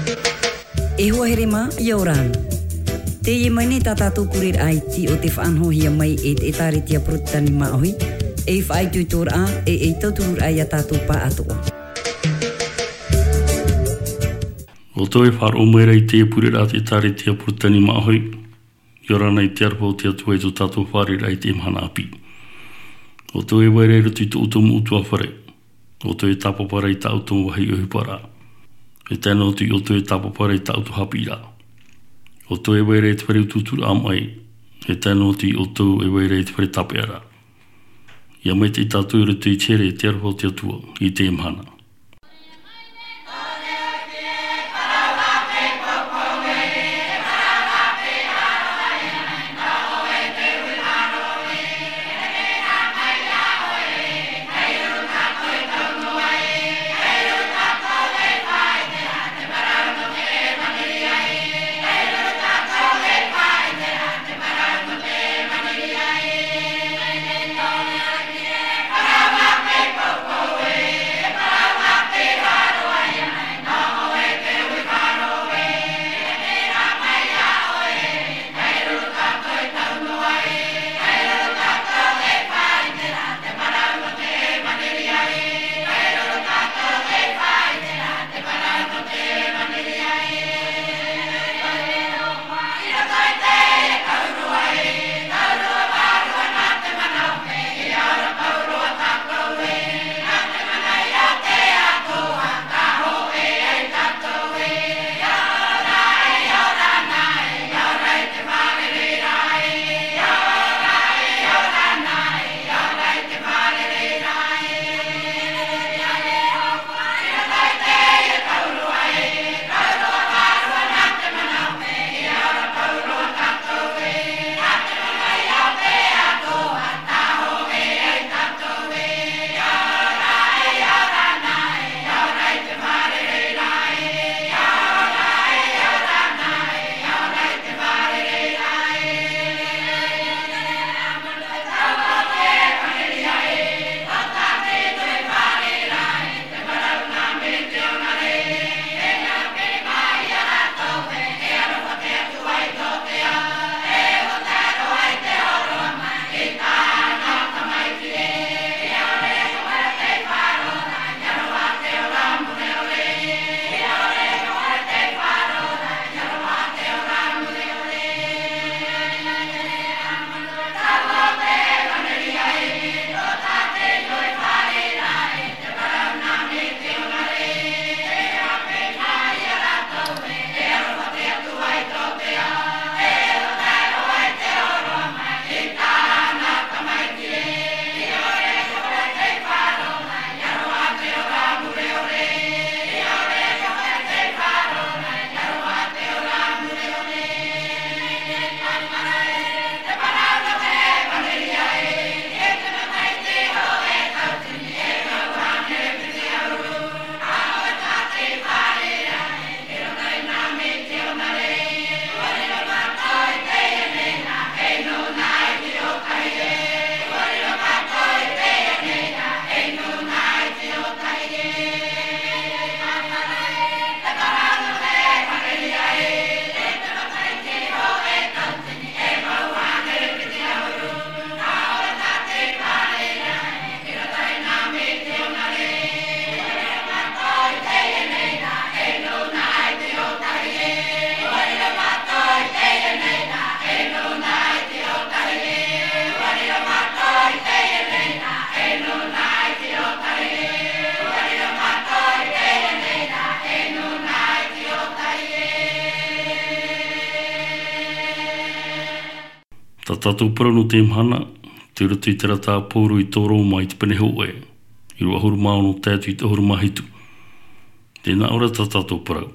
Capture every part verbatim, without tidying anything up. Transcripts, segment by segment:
E hoa here mā, ʻia ora na. Teie mai nei tā tātou pureraʻa iti o te faʻanahohia mai e te ʻĒtārētia Porotetani Māʻohi, ei faʻaitoitoraʻa, e ei tautururaʻa ia tātou pāʻatoʻa. ʻO tō e faʻaroʻo mai ra i te pureraʻa te ʻĒtārētia Porotetani Māʻohi, ʻia ora na i te aroha o te Atua i tō tātou fārereiraʻa i teie mahana ʻāpī. ʻO tō e vai ra i roto i tō ʻoutou mau ʻutuāfare. ʻO tō e tāpapa ra i tā ʻoutou vāhi ʻohiparaʻa. E tae noa atu i ʻo tō e tāpapa ra i tā ʻoutou haʻapiʻiraʻa. ʻO tō e vai ra i te fare utuuturaʻa maʻi. E tae noa atu i ʻo tō e vai ra i te fare tāpeʻaraʻa. ʻIa maitaʻi tātou i roto i te here, te aroha o te Atua, i teie mahana. Tā tātou parau nō te mahana, tei roto i te rata a Pauro i tō Roma i te pene hōʻē, ʻīrava ʻahuru mā ono tae atu i te ʻahuru mā hitu. Tē nā ʻō ra tā tātou parau.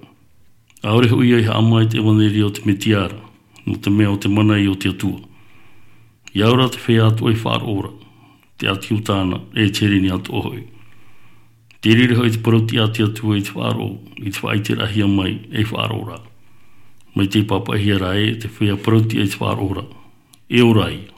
ʻAore hoʻi ia i haʻamā i te ʻevanelia o te Mesia ra, nō te mea ʻo te mana ia o te Atua. ʻIa ora te feiā atoʻa i faʻaroʻo ra, te ʻāti ʻo Iuta na, e te Hereni atoʻa hoʻi. Tē reira hoʻi te parau-tiʻa a te Atua i te faʻaroʻo, i te faʻaʻiteraʻahia mai, ei faʻaroʻoraʻa. Mai tei pāpaʻihia ra ē, te feiā parau-tiʻa i te faʻaroʻo ra. E ora ia.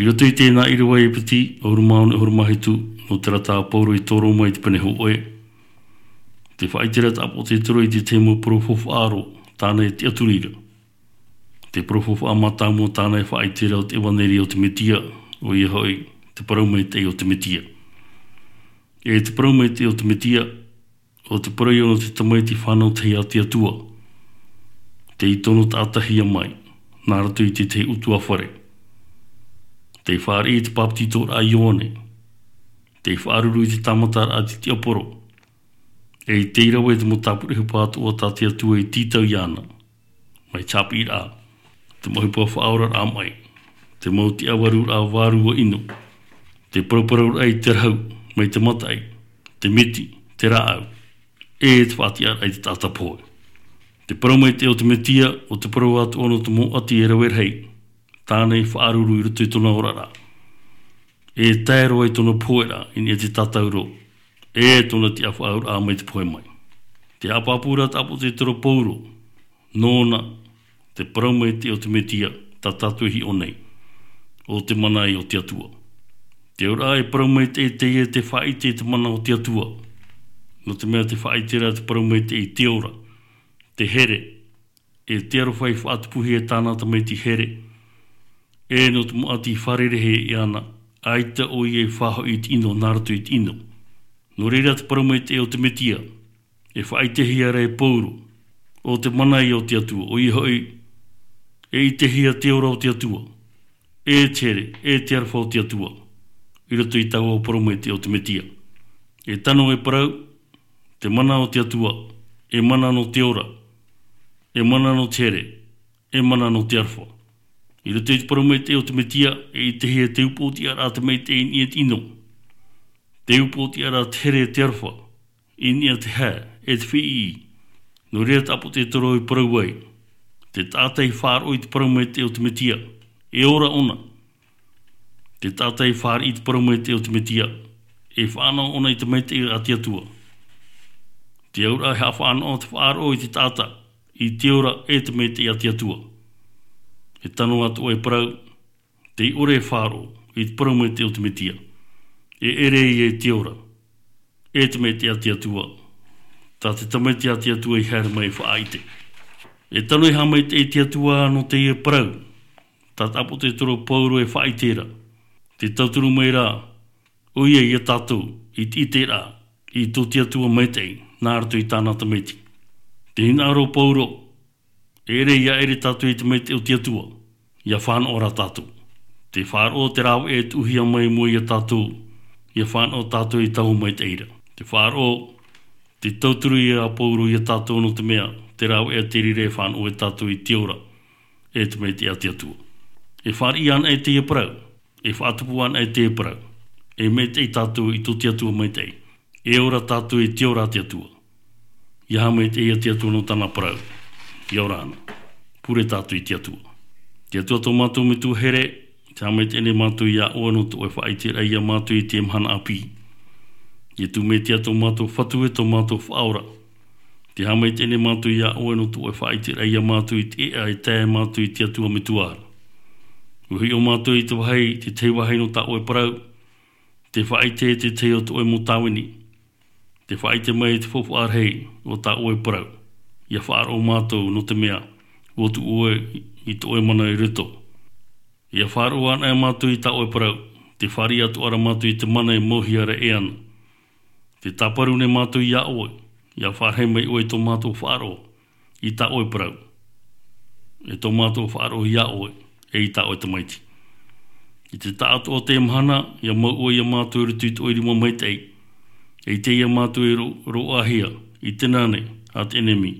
I roto i tēnā ʻīrava ʻēpeti, ʻahuru mā ono, ʻahuru mā hitu, nō terā tā Paulo i tō Roma i te pene hōʻē. Tē faʻaʻite ra te ʻāpōsetolo i te tahi mau parau faufaʻa roa, tāna e tiʻaturi ra. Te parau faufaʻa mātāmua tāna e faʻaʻite ra ʻo te ʻevanelia o te Mesia, ʻoia hoʻi, te parau maitaʻi o te Mesia. E te parau maitaʻi o te Mesia, ʻo te parau ia nō te tamaiti fānau tahi a te Atua. Tei tono taʻatihia mai, nā roto i te tahi ʻutuāfare. Tei fāriʻi i te bāpetizoraʻa a Ioane. Tei faʻaruru i te tāmataraʻa a te tiaporo. E tei rave te mau tāpura ʻohipa atoʻa tā te Atua i tītau iāna. Mai te haʻapiʻiraʻa, te mau ʻohipa faʻaoraraʻa maʻi, te mau tiʻavaruraʻa vārua ʻino, te paraparauraʻa i te rahu, mai te mataʻi, te miti, te rāʻau, e te faʻatiʻaraʻa i te taʻata pohe. Te parau maitaʻi o te Mesia, ʻo te parau atoʻa nō te mau ʻati e rave rahi, tāna i faʻaruru i roto i tōna oraraʻa. E tae roa i tōna pohe ra, i niʻa i te tātauro, e tōna tiʻafaʻauraʻa mai te pohe mai. Tē haʻapāpū ra te ʻāpōsetolo Paulo, nōna, te parau maitaʻi o te Mesia, tā tātou e hiʻo nei, ʻo te mana ia o te Atua. Te auraʻa e parau maitaʻi teie tē faʻaʻite i te mana o te Atua. Nō te mea tē faʻaʻite ra te parau maitaʻi i te ora, te here, e te aroha i faʻatupuhia e tāna tamaiti here, e nō te mau ʻati i fārereihia iāna, ʻaita ʻoia i faʻahoʻi i te ʻino, nā roto i te ʻino. Nō reira te parau maitaʻi o te Mesia, e faʻaʻitehia ra e Paulo, ʻo te mana ia o te Atua, ʻoia hoʻi, e ʻitehia te ora o te Atua, e te here, e te aroha o te Atua, i roto i taua parau maitaʻi o te Mesia. E tano e parau, te mana o te Atua, e mana nō te ora, e mana nō te here, e mana nō te aroha. I roto i te parau maitaʻi o te Mesia, e ʻitehia te upoʻotiʻaraʻa tamaitaʻi i niʻa i te ʻino. Te upoʻotiʻaraʻa te here e te aroha, i niʻa i te hae, e te fiʻiʻi. Nō reira te ʻāpōsetolo i parau ai, te taʻata i faʻaroʻo i te parau maitaʻi o te Mesia, e ora ʻōna. Te taʻata i fāriʻi i te parau maitaʻi o te Mesia, e fānaʻo ʻōna i te maitaʻi a te Atua. Te auraʻa e haʻafānaʻo te faʻaroʻo i te taʻata, i te ora e te maitaʻi a te Atua. E tano atoʻa e parau, tei ʻore e faʻaroʻo i te parau maitaʻi o te Mesia. E ʻere ia i te ora, e te maitaʻi a te Atua. Tā te tamaiti a te Atua i haere mai e faʻaʻite. E tano e haʻamaitaʻi i te Atua nō teie parau, tā te ʻāpōsetolo Paulo e faʻaʻite ra. Tē tauturu mai ra, ʻoia ia tātou, i te ʻiteraʻa, i tō te Atua maitaʻi, nā roto i tāna tamaiti. Tē hinaʻaro Paulo, e ʻere ia ʻere tātou i te maitaʻi o te Atua, ia fānaʻo rā tātou. Tē faʻaroʻo te rāveʻa e tuʻuhia mai mua ia tātou, ia fānaʻo tātou i taua maitaʻi ra. Tē faʻaroʻo, tē tauturu ia Paulo ia tātou nō te mea, te rāveʻa te reira e fānaʻo e tātou i te ora, e te maitaʻi a te Atua. E fāriʻi ana e teie parau, e faʻatupu ana e teie parau, e maitaʻi tātou i tō te Atua maitaʻi, e ora tātou i te ora a te Atua. Ia haʻamaitaʻi ia te Atua nō tāna parau, ia ora ana. Pure tātou i te Atua. Te Atua tō mātou Metua here, te haʻamaitaʻi nei mātou ia ʻoe nō tō ʻoe faʻaʻiteraʻa ia mātou i teie mahana ʻāpī. Iesu Mesia tō mātou Fatu e tō mātou Faʻaora. Te haʻamaitaʻi nei mātou ia ʻoe nō tō ʻoe faʻaʻiteraʻa ia mātou i te ʻēʻa e tae mātou i te Atua Metua ra. ʻUa hiʻo mātou i te vāhi, te tahi vāhi nō tā ʻoe parau, tē faʻaʻite i te tahi o tō ʻoe mau tāvini. Tē faʻaʻite mai i te faufaʻa rahi o tā ʻoe parau. Ia faʻaroʻo mātou nō te mea, ʻua tuʻu ʻoe i tō ʻoe mana i roto. Ia faʻaroʻo anaʻe mātou i tā ʻoe parau, tē fāriʻi atoʻa ra mātou i te mana e mauhia ra e ana. Tē tāparu nei mātou ia ʻoe, ia faʻarahi mai ʻoe i tō mātou faʻaroʻo, i tā ʻoe parau. E tō mātou faʻaroʻo ia ʻoe, e i tā ʻoe tamaiti. I te taʻatoʻa o te mahana, ia mau ʻoe ia mātou i roto i tō ʻoe rima maitaʻi. E ʻite ia mātou e ro-, roaʻahia, i te nane, a te ʻenemi.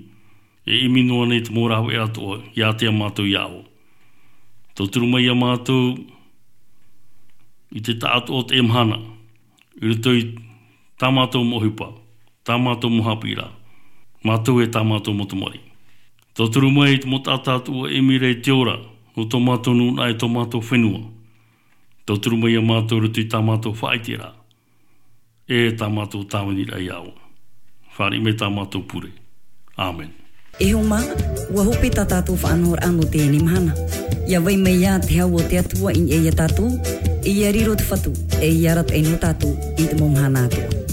E ʻimi noa nei te mau rāveʻa atoʻa, ia ātea mātou ia ʻoe. Tauturu mai ia mātou, i te taʻatoʻa o te mahana, i roto i tā mātou mau ʻohipa, tā mātou mau haʻapiʻiraʻa, mātou e tā mātou mau tamariʻi. Tauturu mai i te mau taʻata atoʻa e ʻimi ra i te ora, nō tō mātou nūnaʻa e tō mātou fenua. Tauturu mai ia mātou i roto i tā mātou faʻaʻiteraʻa, e tā mātou tāviniraʻa ia ʻoe. Fāriʻi mai tā mātou pure. ʻĀmene. E hoa mā, ʻua hope tā tātou faʻanahoraʻa nō teie mahana. Ia vai mai ia te hau o te Atua i niʻa ia tātou, ia riro te Fatu, e ia arataʻi nō tātou i te mau mahana atoʻa.